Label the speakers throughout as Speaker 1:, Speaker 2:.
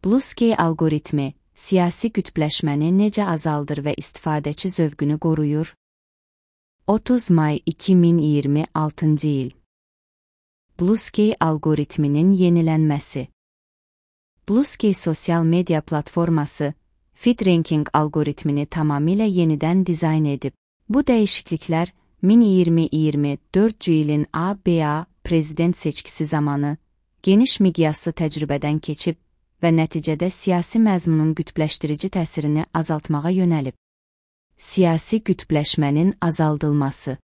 Speaker 1: Bluesky algoritmi siyasi qütbləşməni necə azaldır və istifadəçi zövqünü qoruyur? 30 may 2026 il. Bluesky algoritminin yenilənməsi. Bluesky sosial media platforması feed-ranking algoritmini tamamilə yenidən dizayn edib. Bu dəyişikliklər 2024 ilin ABA prezident seçkisi zamanı geniş miqyaslı təcrübədən keçib və nəticədə siyasi məzmunun qütbləşdirici təsirini azaltmağa yönəlib. Siyasi qütbləşmənin azaldılması.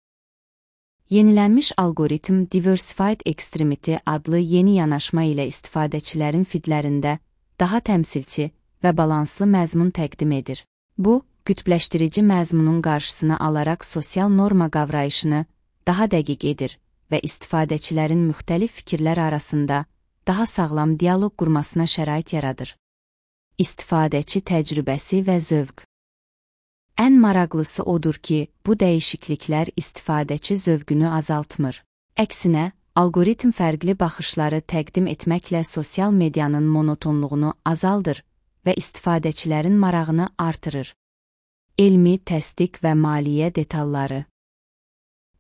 Speaker 1: Yenilənmiş algoritm Diversified Extremity adlı yeni yanaşma ilə istifadəçilərin feedlərində daha təmsilçi və balanslı məzmun təqdim edir. Bu, qütbləşdirici məzmunun qarşısını alaraq sosial norma qavrayışını daha dəqiq edir və istifadəçilərin müxtəlif fikirlər arasında daha sağlam dialoq qurmasına şərait yaradır. İstifadəçi təcrübəsi və zövq. Ən maraqlısı odur ki, bu dəyişikliklər istifadəçi zövqünü azaltmır. Əksinə, algoritm fərqli baxışları təqdim etməklə sosial medianın monotonluğunu azaldır və istifadəçilərin marağını artırır. Elmi təsdiq və maliyyə detalları.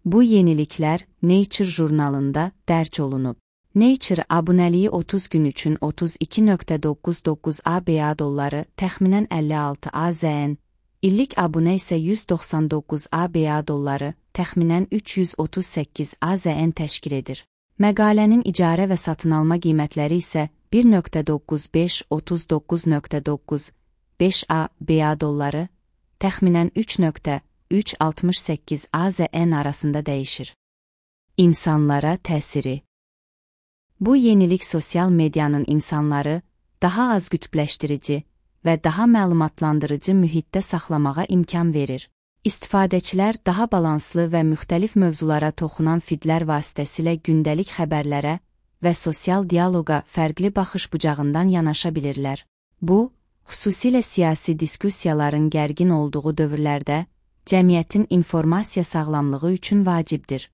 Speaker 1: Bu yeniliklər Nature jurnalında dərc olunub. Nature abunəliyi 30 gün üçün 32.99 ABA dolları, təxminən 56 AZN, illik abunə isə 199 ABA dolları, təxminən 338 AZN təşkil edir. Məqalənin icarə və satın alma qiymətləri isə 1.9539.9 5 ABA dolları, təxminən 3.368 AZN arasında dəyişir. İnsanlara təsiri. Bu yenilik sosial medianın insanları daha az qütbləşdirici və daha məlumatlandırıcı mühitdə saxlamağa imkan verir. İstifadəçilər daha balanslı və müxtəlif mövzulara toxunan feedlər vasitəsilə gündəlik xəbərlərə və sosial dialoqa fərqli baxış bucağından yanaşa bilirlər. Bu, xüsusilə siyasi diskussiyaların gərgin olduğu dövrlərdə cəmiyyətin informasiya sağlamlığı üçün vacibdir.